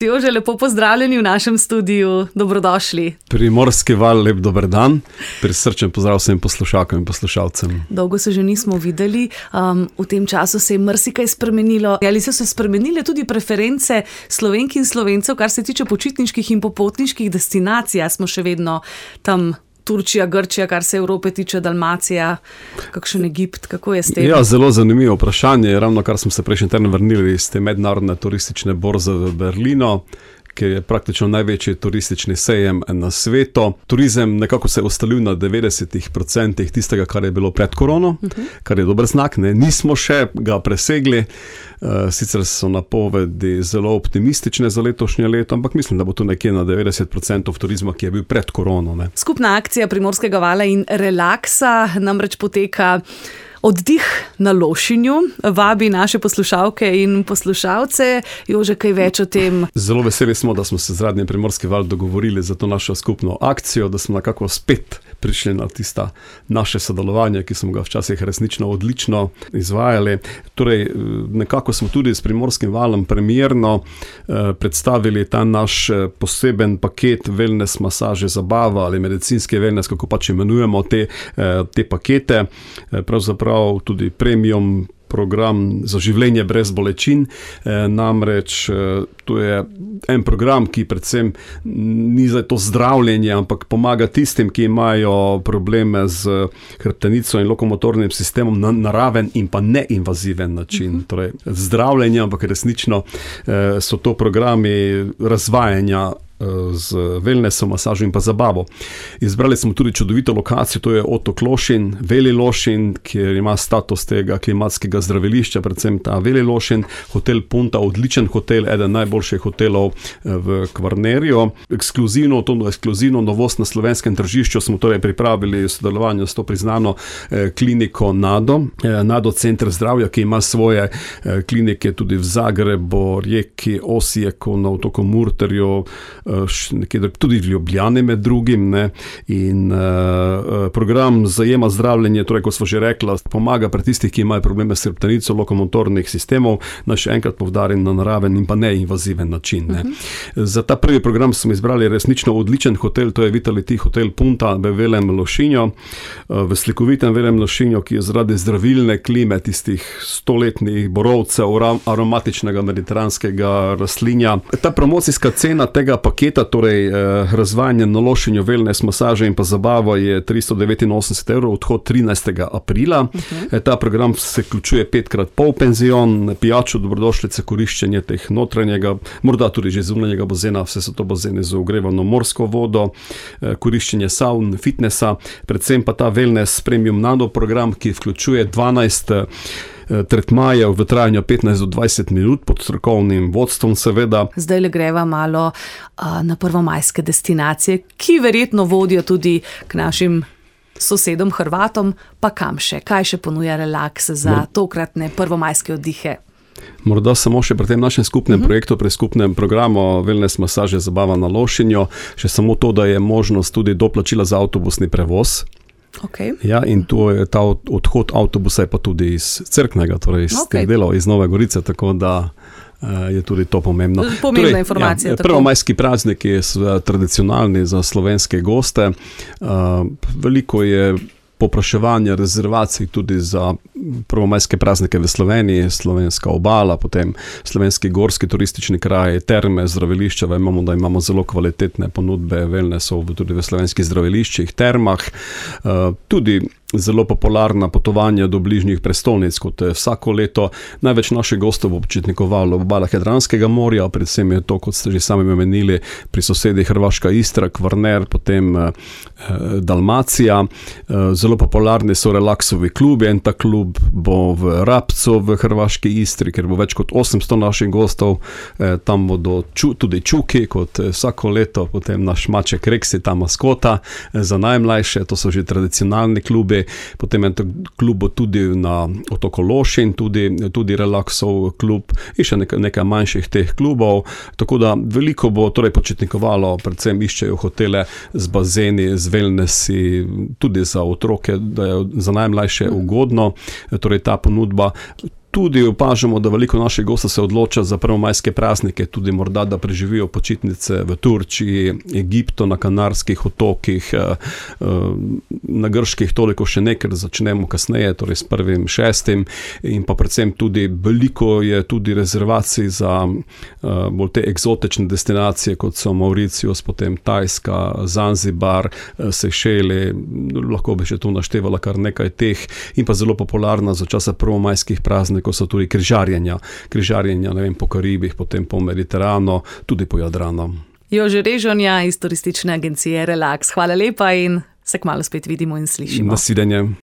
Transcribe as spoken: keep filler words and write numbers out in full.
Jože, lepo pozdravljeni v našem studiu, dobrodošli. Primorski val, lep dober dan, prisrčen pozdrav vsem poslušalkam in poslušalcem. Dolgo se že nismo videli, um, v tem času se je marsikaj spremenilo. Ali so se spremenile tudi preference Slovenk in Slovencev, kar se tiče počitniških in popotniških destinacij? Smo še vedno tam Turčija, Grčija, kar se Evrope tiče, Dalmacija, kakšen Egipt, kako je s tem? Ja, zelo zanimivo vprašanje, ravno kar smo se prejšnji teden vrnili iz te mednarodne turistične borze v Berlinu, ki je praktično največji turistični sejem na svetu. Turizem nekako se je ustalil na devetdeset procentov tistega, kar je bilo pred korono, uh-huh. kar je dober znak, ne? Nismo še ga presegli, uh, sicer so napovedi zelo optimistične za letošnje leto, ampak mislim, da bo tu nekje na devetdeset procentov turizma, ki je bil pred korono. Ne? Skupna akcija Primorskega vala in relaksa namreč poteka Oddih na Lošinju, vabi naše poslušalke in poslušalce. Jože, kaj več o tem? Zelo veseli smo, da smo se z Radiem Primorski val dogovorili za to našo skupno akcijo, da smo nekako spet prišli na tista naše sodelovanje, ki smo ga včasih resnično odlično izvajali. Torej, nekako smo tudi s Primorskim valom premierno eh, predstavili ta naš poseben paket wellness, masaže, zabava ali medicinski wellness, kako pač imenujemo te, eh, te pakete. Eh, pravzaprav tudi premium program za življenje brez bolečin, e, namreč e, to je en program, ki predvsem ni za to zdravljenje, ampak pomaga tistim, ki imajo probleme z hrbtenico in lokomotornim sistemom na naraven in pa neinvaziven način. Uh-huh. Torej, zdravljenje, ampak resnično e, so to programi razvajanja z wellnessom, masažo in pa zabavo. Izbrali smo tudi čudovito lokacijo, to je Otok Lošinj, Veli Lošinj, kjer ima status tega klimatskega zdravilišča, predvsem ta Veli Lošinj, hotel Punta, odličen hotel, eden najboljših hotelov v Kvarnerju. Ekskluzivno, to ekskluzivno novost na slovenskem tržišču smo torej pripravili v sodelovanju s to priznano eh, kliniko Nado, eh, Nado Center zdravja, ki ima svoje eh, klinike tudi v Zagrebu, Rijeki, Osijeku, na otoku Murterju, nekje tudi v Ljubljani med drugim, ne, in uh, program zajema zdravljenje, torej, kot smo že rekla, pomaga pri tistih, ki imajo probleme s hrbtenico, lokomotornih sistemov, naj še enkrat povdarim, na naraven in pa neinvaziven način. Ne. Uh-huh. Za ta prvi program smo izbrali resnično odličen hotel, to je Vitality Hotel Punta v Velem Lošinju, v slikovitem Velem Lošinju, ki je zaradi zdravilne klime tistih stoletnih borovcev, aromatičnega mediteranskega rastlinja. Ta promocijska cena tega paketa, torej eh, razvajanje na Lošinju, wellness, masaže in pa zabava je tristo devetinosemdeset evrov, odhod trinajstega aprila. Uh-huh. Ta program se vključuje petkrat pol penzion, pijačo, dobrodošlice, koriščenje teh notranjega, morda tudi že zunanjega bazena, vse so to bazene z ogrevano morsko vodo, eh, koriščenje saun, fitnessa, predvsem pa ta wellness premium nano program, ki vključuje dvanajst tretmajev v trajanju petnajst do dvajset minut pod strokovnim vodstvom, seveda. Zdaj le greva malo uh, na prvomajske destinacije, ki verjetno vodijo tudi k našim sosedom Hrvatom, pa kam še? Kaj še ponuja relaks za no. tokratne prvomajske oddihe? Morda samo še pri tem našem skupnem uh-huh. projektu, pri skupnem programu wellness, masaže, zabava na Lošinju, še samo to, da je možnost tudi doplačila za avtobusni prevoz. Okay. Ja, in to je ta odhod avtobusa je pa tudi iz Cerknega, torej iz okay. teh delov, iz Nove Gorice, tako da uh, je tudi to pomembno. Pomembna torej, informacija. Ja, prvomajski praznik je tradicionalni za slovenske goste. Uh, veliko je popraševanja, rezervacij tudi za prvomajske praznike v Sloveniji, slovenska obala, potem slovenski gorski turistični kraj, terme, zdravilišča, vemo, da imamo zelo kvalitetne ponudbe wellnessov tudi v slovenskih zdraviliščih, termah, uh, tudi zelo popularna potovanja do bližnjih prestolnic, kot vsako leto. Največ naših gostov bo počitnikovalo v obalah Jadranskega morja, predvsem je to, kot ste že sami omenili, pri sosedi Hrvaška Istra, Kvarner, potem eh, Dalmacija. Eh, zelo popularni so relaksovi klubi, en ta klub bo v Rabcu v Hrvaški Istri, ker bo več kot osemsto naših gostov, eh, tam bodo ču, tudi čuki, kot vsako leto, potem naš maček Reksi, ta maskota eh, za najmlajše, to so že tradicionalni klubi. Potem je klub tudi na Otoku Lošinj, tudi, tudi relaksov klub in še nekaj, nekaj manjših teh klubov, tako da veliko bo torej počitnikovalo, predvsem iščejo hotele z bazeni, z wellnessi, tudi za otroke, da je za najmlajše ugodno, torej ta ponudba. Tudi opažamo, da veliko naših gostov se odloča za prvomajske praznike, tudi morda, da preživijo počitnice v Turčiji, Egiptu, na Kanarskih otokih, na Grških toliko še ne, ker začnemo kasneje, torej s prvim šestim, in pa predvsem tudi veliko je tudi rezervacij za bolj te eksotične destinacije, kot so Mauricius, potem Tajska, Zanzibar, Sejšeli, lahko bi še tu naštevala kar nekaj teh, in pa zelo popularna za časa prvomajskih praznikov so tudi križarjenja, križarjenja, ne vem, po Karibih, potem po Mediteranu, tudi po Jadranu. Jože Režonja iz turistične agencije Relax. Hvala lepa in se kmalu spet vidimo in slišimo. Nasvidenje.